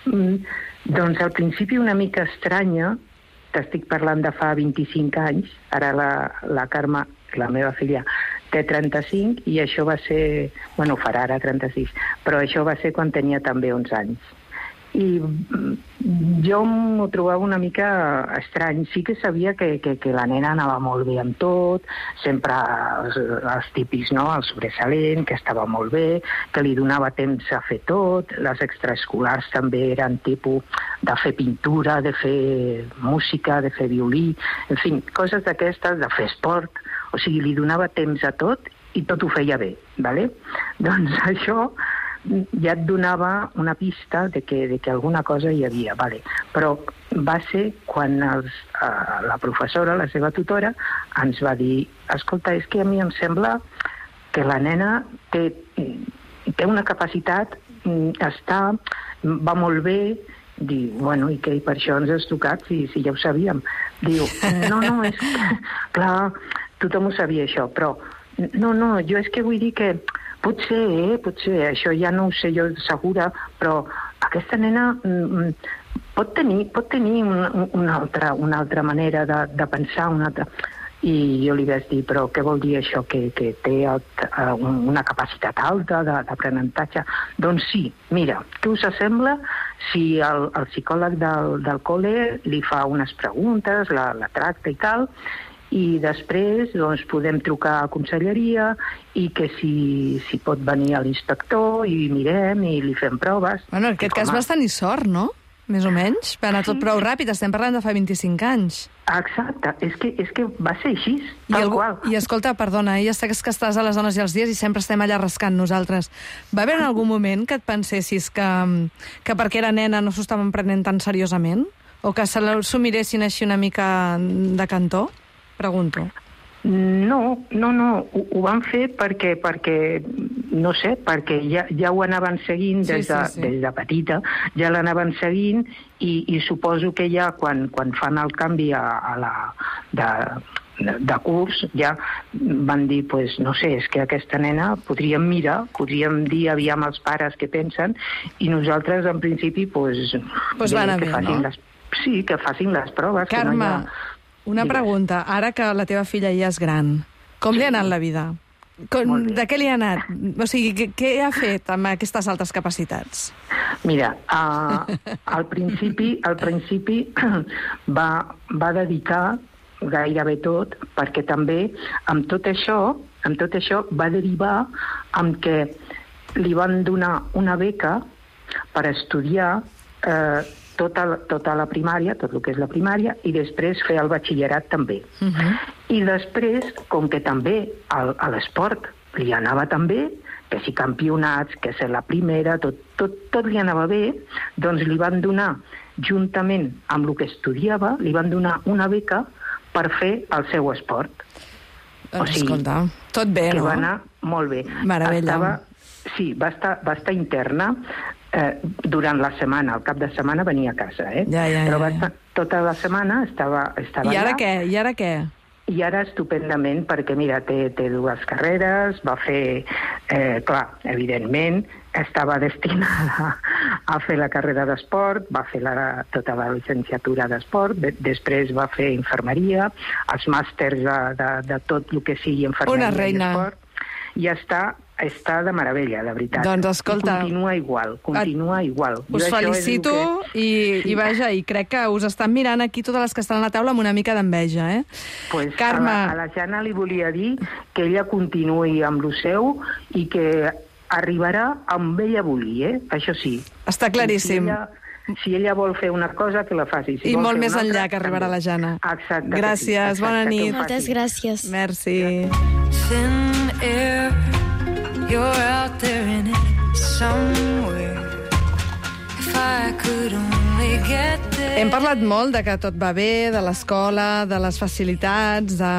Mm, doncs al principi una mica estranya, t'estic parlant de fa vint-i-cinc anys, ara la, la Carme, la meva filla, té trenta-cinc i això va ser, bueno, farà ara trenta-sis, però això va ser quan tenia també onze anys. I mm, jo m'ho trobava una mica estrany. Sí que sabia que, que, que la nena anava molt bé amb tot, sempre els, els típics, no?, el sobresalent, que estava molt bé, que li donava temps a fer tot, les extraescolars també eren tipus de fer pintura, de fer música, de fer violí, en fi, coses d'aquestes, de fer esport, o sigui, li donava temps a tot i tot ho feia bé, ¿vale? Doncs això ja et donava una pista de que, de que alguna cosa hi havia, vale. Però va ser quan els, eh, la professora, la seva tutora, ens va dir, escolta, és que a mi em sembla que la nena té, té una capacitat, està, va molt bé, diu, bueno, i què, i per això ens has tocat, si, si ja ho sabíem. Diu, no, no, és que, clar, tothom ho sabia això, però, no, no, jo és que vull dir que potser, eh, potser, això ja no ho sé jo segura, però aquesta nena mm, pot tenir, pot tenir una, una, altra, una altra manera de, de pensar, una altra... I jo li vaig dir, però què vol dir això, que, que té alt, uh, una capacitat alta d'aprenentatge? Doncs sí, mira, què us sembla si el, el psicòleg del, del col·le li fa unes preguntes, la, la tracta i tal, i després doncs, podem trucar a conselleria i que si, si pot venir a l'inspector i mirem i li fem proves. Bueno, en aquest cas vas tenir sort, no? Més o menys. Va anar tot prou ràpid, estem parlant de fa vint-i-cinc anys. Exacte, és que, és que va ser així, I, tal algú, qual. I escolta, perdona, ja sé que estàs a les dones i els dies i sempre estem allà rascant nosaltres. Va haver en algun moment que et pensessis que, que perquè era nena no s'ho estaven prenent tan seriosament? O que s'ho miressin així una mica de cantó? Pregunto. No, no, no, ho, ho van fer perquè, perquè no sé, perquè ja, ja ho anaven seguint des de, sí, sí, sí. des de petita, ja l'anaven seguint i, i suposo que ja quan, quan fan el canvi a, a la... De, de, de curs, ja van dir, pues, no sé, és que aquesta nena podríem mirar, podríem dir aviam els pares què pensen, i nosaltres, en principi, pues, pues bé, va que bé, facin no? les, sí, que facin les proves. Carme, que no hi ha... una pregunta. Ara que la teva filla ja és gran, com li ha anat la vida? Com, de què li ha anat? O sigui, què, què ha fet amb aquestes altres capacitats? Mira, uh, al principi, al principi va, va dedicar gairebé tot, perquè també amb tot això, amb tot això va derivar amb que li van donar una beca per estudiar eh, tota, tota la primària, tot el que és la primària, i després fer el batxillerat també. Uh-huh. I després, com que també al, a l'esport li anava també, que si campionats, que ser la primera, tot, tot, tot li anava bé, doncs li van donar, juntament amb el que estudiava, li van donar una beca per fer el seu esport. Doncs, o sigui, escolta, tot bé, que no? va anar Molt bé. Meravella. Estava, sí, va estar, va estar interna eh, durant la setmana. El cap de setmana venia a casa, eh? Ja, ja, ja, Però va ja. estar, tota la setmana estava, estava I ara allà. què? I ara què? I ara estupendament, perquè, mira, té, té dues carreres, va fer, eh, clar, evidentment, estava destinada a fer la carrera d'esport, va fer la, tota la llicenciatura d'esport, de, després va fer infermeria, els màsters de, de, de tot el que sigui infermeria Una reina. i esport, i està, està de meravella, de veritat. Doncs escolta... I continua igual, continua et... igual. Us Jo felicito que... i, Sí. i vaja, i crec que us estan mirant aquí totes les que estan a la taula amb una mica d'enveja, eh? Pues Carme... a, la, a la Jana li volia dir que ella continuï amb el seu i que arribarà on ella vulgui, eh? Això sí. Està claríssim. Si ella, si ella vol fer una cosa, que la faci. Si I vol molt fer més una enllà altra, que arribarà també. la Jana. Exacte. Gràcies, sí, bona exacte, nit. Moltes gràcies. Merci. Thin air, you're out there in it somewhere. If I could only get there. Hem parlat molt de que tot va bé, de l'escola, de les facilitats, de...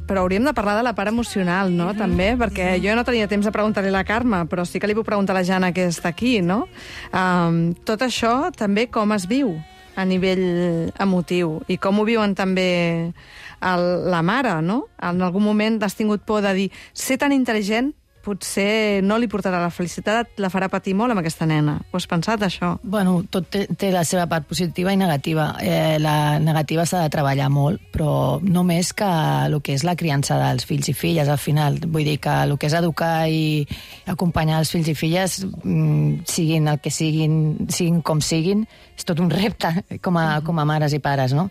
però hauríem de parlar de la part emocional, no?, mm-hmm. també, perquè jo no tenia temps de preguntar-li a la Carme, però sí que li puc preguntar a la Jana, que està aquí, no? Um, tot això també com es viu a nivell emotiu i com ho viuen també el, la mare, no? En algun moment has tingut por de dir ser tan intel·ligent potser no li portarà la felicitat, la farà patir molt amb aquesta nena. Ho has pensat, això? Bueno, tot té, té la seva part positiva i negativa. Eh, la negativa s'ha de treballar molt, però no més que el que és la criança dels fills i filles, al final. Vull dir que el que és educar i acompanyar els fills i filles, mmm, siguin el que siguin, siguin com siguin, és tot un repte com a, com a mares i pares, no?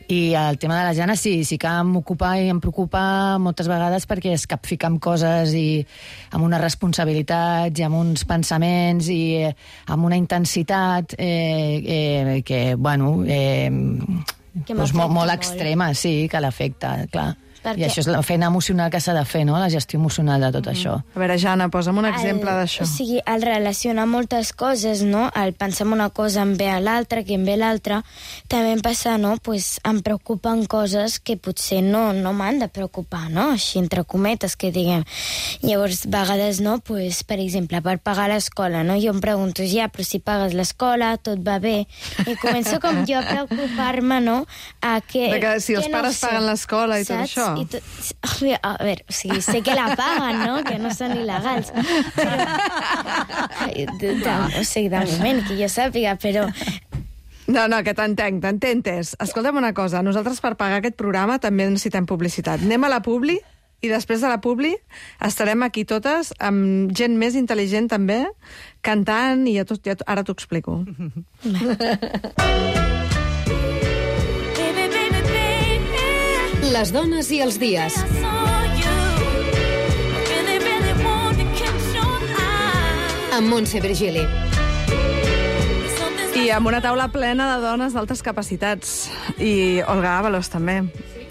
I el tema de la Jana sí, sí que m'ocupa i em preocupa moltes vegades perquè es capfica amb coses i amb una responsabilitat i amb uns pensaments i eh, amb una intensitat eh, eh, que, bueno, eh, que doncs molt, molt molt. extrema, sí, que l'afecta, clar. Perquè... I això és la feina emocional que s'ha de fer, no?, la gestió emocional de tot mm. això. A veure, Jana, posa'm un exemple El- d'això. O sigui, el relacionar moltes coses, no? El pensar en una cosa em ve a l'altra, que em ve l'altra. També em passa, no? Pues em preocupen coses que potser no, no m'han de preocupar, no? Així, entre cometes, que diguem. Llavors, a vegades, no? Pues, per exemple, per pagar l'escola, no? Jo em pregunto, ja, però si pagues l'escola, tot va bé. I començo com jo a preocupar-me, no? A que, De que si els que no pares sé, paguen l'escola i tot saps? això. I tot, a veure, o sigui, sé que la paguen, no? Que no són il·legals. Però, de, de, o sigui, de moment, que jo sàpiga, però... No, no, que t'entenc, t'ententes. Escolta'm una cosa, nosaltres per pagar aquest programa també necessitem publicitat. Anem a la Publi i després de la Publi estarem aquí totes amb gent més intel·ligent també, cantant, i ja tot, ja, ara t'ho explico. Les dones i els dies. Amb Montse Virgili. I amb una taula plena de dones d'altes capacitats. I Olga Ábalos, també.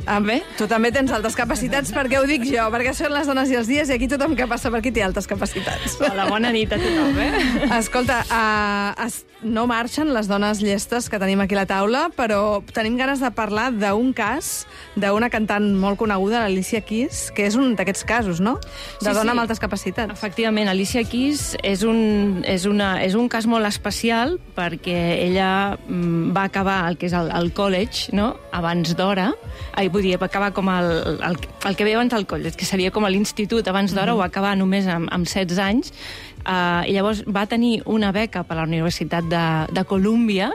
Ah, bé? Tu també tens altes capacitats, perquè ho dic jo, perquè són les dones i els dies, i aquí tothom que passa per aquí té altes capacitats. Hola, bona nit a tothom, eh? Escolta, uh, es, no marxen les dones llestes que tenim aquí a la taula, però tenim ganes de parlar d'un cas d'una cantant molt coneguda, l'Alicia Keys, que és un d'aquests casos, no? De Sí, dona sí. amb altes capacitats. Efectivament, Alicia Keys és un, és, una, és un cas molt especial perquè ella mm, va acabar el que és el, el college, no?, abans d'hora. Ai, vull dir, va acabar com el, el, el que ve abans del college, que seria com a l'institut abans d'hora, mm-hmm. ho va acabar només amb, amb setze anys. Uh, I llavors va tenir una beca per a la Universitat de, de Colúmbia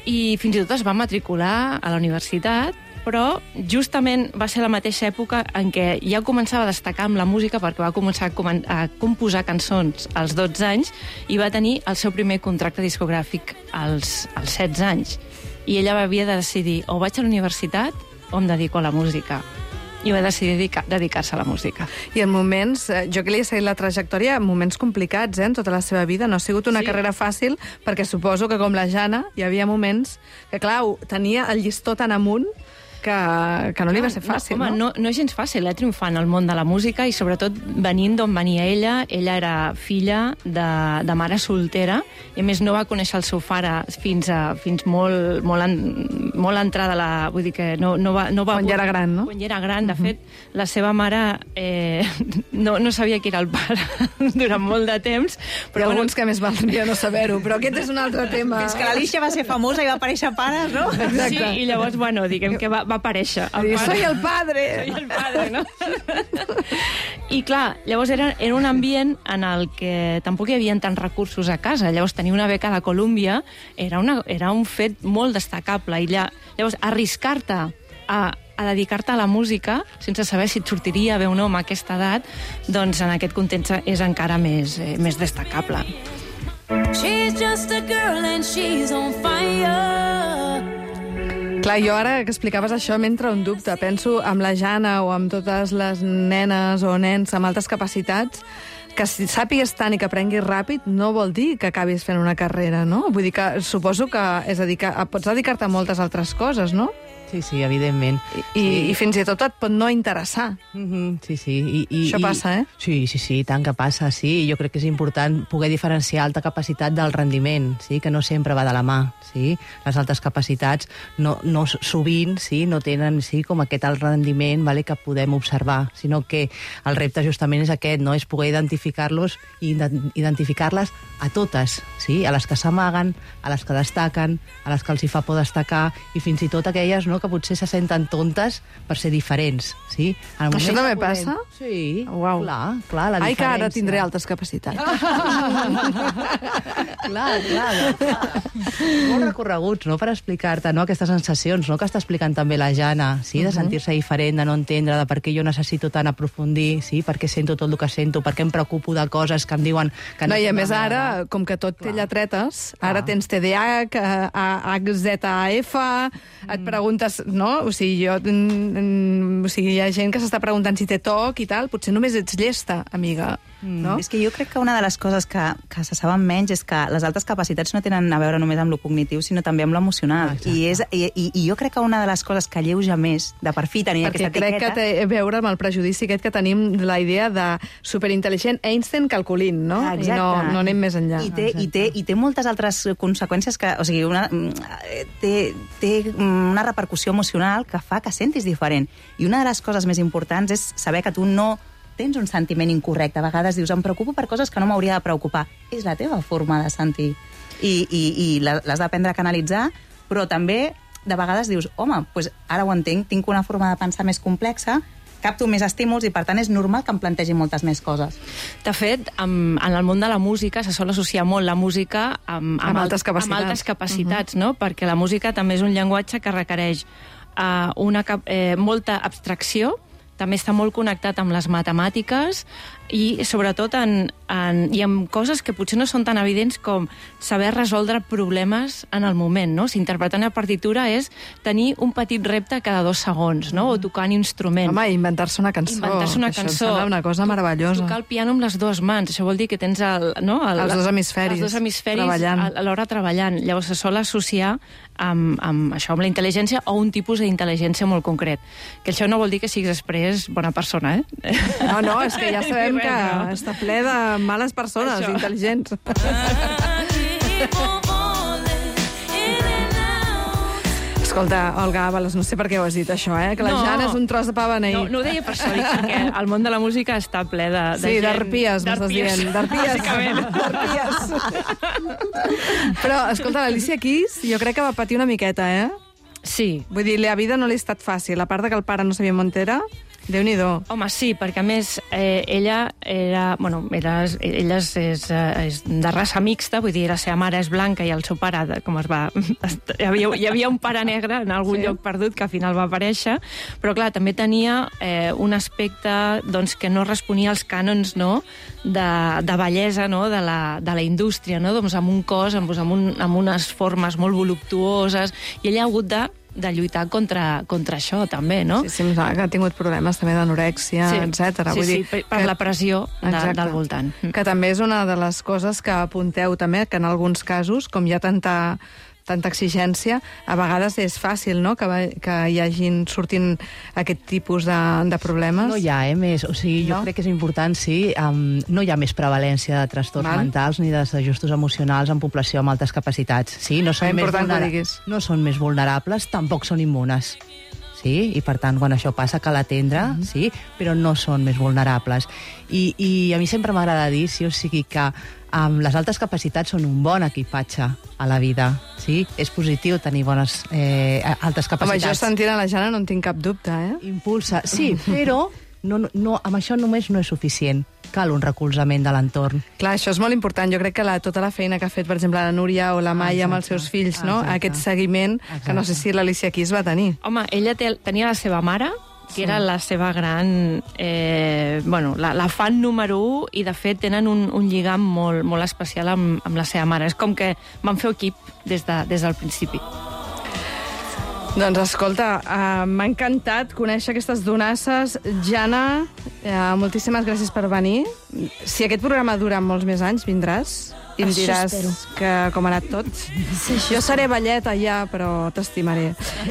i fins i tot es va matricular a la universitat, però justament va ser la mateixa època en què ja començava a destacar amb la música, perquè va començar a, comen a composar cançons als dotze anys i va tenir el seu primer contracte discogràfic als, als setze anys. I ella havia de decidir, o vaig a la universitat o em dedico a la música. I va decidir dedicar, dedicar-se a la música. I en moments, eh, jo que li he seguit la trajectòria, en moments complicats, eh, en tota la seva vida. No ha sigut una Sí. carrera fàcil, perquè suposo que com la Jana hi havia moments que, clar, tenia el llistó tan amunt que, que no li va ser fàcil, no? Home, no, no és gens fàcil, eh, triomfar en el món de la música i sobretot venint d'on venia ella. Ella era filla de, de mare soltera i a més no va conèixer el seu pare fins, a, fins molt, molt, en, molt entrada la... Vull dir que no, no va... No va quan ja era gran, no? Quan ja era gran. De uh-huh. fet, la seva mare eh, no, no sabia qui era el pare durant molt de temps. Però hi ha alguns bueno, que més valdria no saber-ho, però aquest és un altre tema. Fins que l'Alícia va ser famosa i va aparèixer pares, no? Exacte. Sí, i llavors, bueno, diguem que va, va aparèixer. El pare. Soy el padre! Soy el padre, no? I clar, llavors era, era un ambient en el que tampoc hi havia tants recursos a casa. Llavors tenir una beca de Colúmbia era, una, era un fet molt destacable. I lla, llavors arriscar-te a, a dedicar-te a la música sense saber si et sortiria bé o no amb aquesta edat, doncs en aquest context és encara més, eh, més destacable. She's just a girl and she's on fire. Clar, jo ara que explicaves això m'entra un dubte. Penso amb la Jana o amb totes les nenes o nens amb altes capacitats, que si sàpigues tant i que aprenguis ràpid no vol dir que acabis fent una carrera, no? Vull dir que suposo que és dedicar, pots dedicar-te a moltes altres coses, no? Sí, sí, evidentment. I, sí. i fins i tot et pot no interessar. Mm-hmm, sí, sí. I, i, Això i, passa, eh? Sí, sí, sí, tant que passa, sí. Jo crec que és important poder diferenciar alta capacitat del rendiment, sí, que no sempre va de la mà, sí. Les altes capacitats no, no sovint, sí, no tenen, sí, com aquest alt rendiment, vale, que podem observar, sinó que el repte justament és aquest, no? És poder identificar-los i identificar-les a totes, sí, a les que s'amaguen, a les que destaquen, a les que els hi fa por destacar, i fins i tot aquelles, no, que potser se senten tontes per ser diferents, sí? Això també podem... passa? Sí, wow. clar, clar, la Ai, diferència. que ara tindré altes capacitats. clar, clar, clar. Molt recorreguts, no?, per explicar-te, no?, aquestes sensacions, no?, que està explicant també la Jana, sí?, de sentir-se diferent, de no entendre, de per què jo necessito tant aprofundir, sí?, per què sento tot el que sento, per què em preocupo de coses que em diuen que no... No, i a més ara, com que tot té lletretes, ara tens T D A H, H Z A F, et preguntes, no? O sigui, jo, mm, o sigui, hi ha gent que s'està preguntant si té toc i tal, potser només ets llesta, amiga, no? Mm. És que jo crec que una de les coses que, que se saben menys és que les altes capacitats no tenen a veure només amb lo cognitiu, sinó també amb lo emocional. Ah, I, és, i, i, I jo crec que una de les coses que alleuja més, de per fi tenir Perquè aquesta etiqueta... Perquè crec que té a veure amb el prejudici aquest que tenim de la idea de superintel·ligent Einstein calculint, no? Exacte. I no, no anem més enllà. I té, i, té, I té moltes altres conseqüències que... O sigui, una, té, té una repercussió emocional que fa que sentis diferent. I una de les coses més importants és saber que tu no tens un sentiment incorrecte. A vegades dius, em preocupo per coses que no m'hauria de preocupar. És la teva forma de sentir. I, i, i l'has d'aprendre a canalitzar, però també de vegades dius, home, doncs ara ho entenc, tinc una forma de pensar més complexa, capto més estímuls i, per tant, és normal que em plantegi moltes més coses. De fet, en, en el món de la música se sol associar molt la música amb, amb, amb altes capacitats, amb altes capacitats, uh-huh. no? Perquè la música també és un llenguatge que requereix uh, una, eh, molta abstracció, també està molt connectat amb les matemàtiques i sobretot en, en, i amb coses que potser no són tan evidents com saber resoldre problemes en el moment, no? Si interpretar una partitura és tenir un petit repte cada dos segons, no? O tocar un instrument. Home, inventar-se una cançó. Inventar-se una això cançó. Això una cosa meravellosa. Tocar el piano amb les dues mans, això vol dir que tens el, no? el, els dos hemisferis, els dos hemisferis treballant. alhora treballant. Llavors se sol associar amb, amb això, amb la intel·ligència o un tipus d'intel·ligència molt concret. Que això no vol dir que siguis després bona persona, eh? No, no, és que ja sabem que està ple de males persones, això. Intel·ligents. Escolta, Olga Ábalos, no sé per què ho has dit, això, eh? Que la no, Jana és un tros de pa beneït. No, no ho deia per això, dic, perquè el món de la música està ple de, de sí, gent... d'arpies, m'estàs dient. D'arpies. D'arpies. Però, escolta, l'Alicia Keys, jo crec que va patir una miqueta, eh? Sí. Vull dir, la vida no li ha estat fàcil. A part de que el pare no sabia on era, Déu-n'hi-do. Home, sí, perquè a més eh, ella era, bueno, era, ella és, és, és de raça mixta, vull dir, la seva mare és blanca i el seu pare, com es va... Hi havia, hi havia un pare negre en algun sí. lloc perdut que al final va aparèixer, però clar, també tenia eh, un aspecte doncs, que no responia als cànons, no?, de, de bellesa, no?, de la, de la indústria, no?, doncs amb un cos, amb, amb, un, amb unes formes molt voluptuoses, i ella ha hagut de de lluitar contra, contra això, també, no? Sí, sí, que ha tingut problemes també d'anorèxia, sí. etcètera. Sí, Vull sí, dir per, per que... la pressió de, del voltant. Que també és una de les coses que apunteu també, que en alguns casos, com hi ha tanta tanta exigència, a vegades és fàcil, no?, que, que hi hagin sortint aquest tipus de, de problemes. No hi ha, eh, més. O sigui, jo no? crec que és important, sí, um, no hi ha més prevalència de trastorns Val. mentals ni de desajustos emocionals en població amb altes capacitats. Sí, no són, més, vulnera... no són més vulnerables, tampoc són immunes. Sí, i per tant, quan això passa, cal atendre, mm -hmm. sí, però no són més vulnerables. I, i a mi sempre m'agrada dir, sí, o sigui, que um, les altes capacitats són un bon equipatge a la vida, sí? És positiu tenir bones eh, altes capacitats. Home, jo sentint a la Jana no en tinc cap dubte, eh? Impulsa, sí, però no, no, amb això només no és suficient. Cal un recolzament de l'entorn. Clar, això és molt important. Jo crec que la, tota la feina que ha fet, per exemple, la Núria o la Maia amb els seus fills, no? Aquest seguiment, que no sé si l'Alicia aquí es va tenir. Home, ella té, tenia la seva mare, que sí. era la seva gran... Eh, bueno, la, la fan número un, i de fet tenen un, un lligam molt, molt especial amb, amb la seva mare. És com que van fer equip des, de, des del principi. Doncs escolta, uh, m'ha encantat conèixer aquestes donasses. Jana, uh, moltíssimes gràcies per venir. Si aquest programa dura molts més anys, vindràs i em Això diràs espero. que com ha anat tot. Sí, Jo seré velleta ja, però t'estimaré.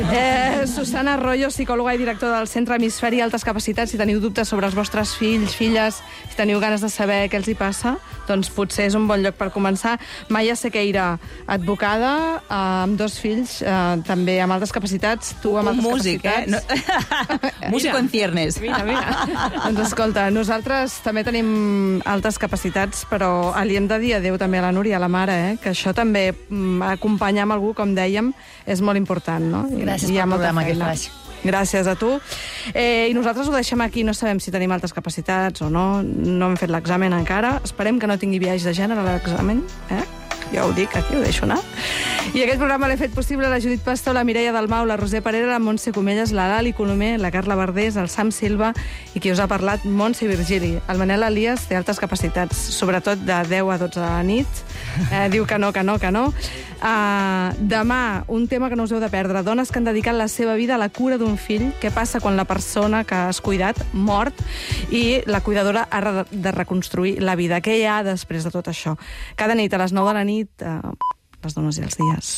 Eh, Susana Arroyo, psicòloga i directora del Centre Hemisferi Altes Capacitats. Si teniu dubtes sobre els vostres fills, filles, si teniu ganes de saber què els hi passa, doncs potser és un bon lloc per començar. Maia Sequeira, advocada, eh, amb dos fills, eh, també amb altes capacitats, tu amb un altes músic, capacitats. Eh? No... Músico en ciernes. Mira, mira. Doncs escolta, nosaltres també tenim altes capacitats, però li hem de dir adéu també a la Núria, a la mare, eh? Que això també, mm, acompanyar amb algú, com dèiem, és molt important, no? Gràcies pel programa que fas. Gràcies a tu. Eh, I nosaltres ho deixem aquí. No sabem si tenim altes capacitats o no. No hem fet l'examen encara. Esperem que no tingui viatge de gènere a l'examen. Eh? Jo ho dic, aquí ho deixo anar. I aquest programa l'he fet possible la Judit Pastor, la Mireia Dalmau, la Roser Parera, la Montse Comelles, la Lali Colomer, la Carla Verdés, el Sam Silva i qui us ha parlat, Montse Virgili. El Manel Elias té altes capacitats, sobretot de deu a dotze de la nit. Eh, diu que no, que no, que no. Uh, demà, un tema que no us heu de perdre. Dones que han dedicat la seva vida a la cura d'un fill. Què passa quan la persona que has cuidat mort i la cuidadora ha de reconstruir la vida? Què hi ha després de tot això? Cada nit a les nou de la nit, uh, les dones i els dies.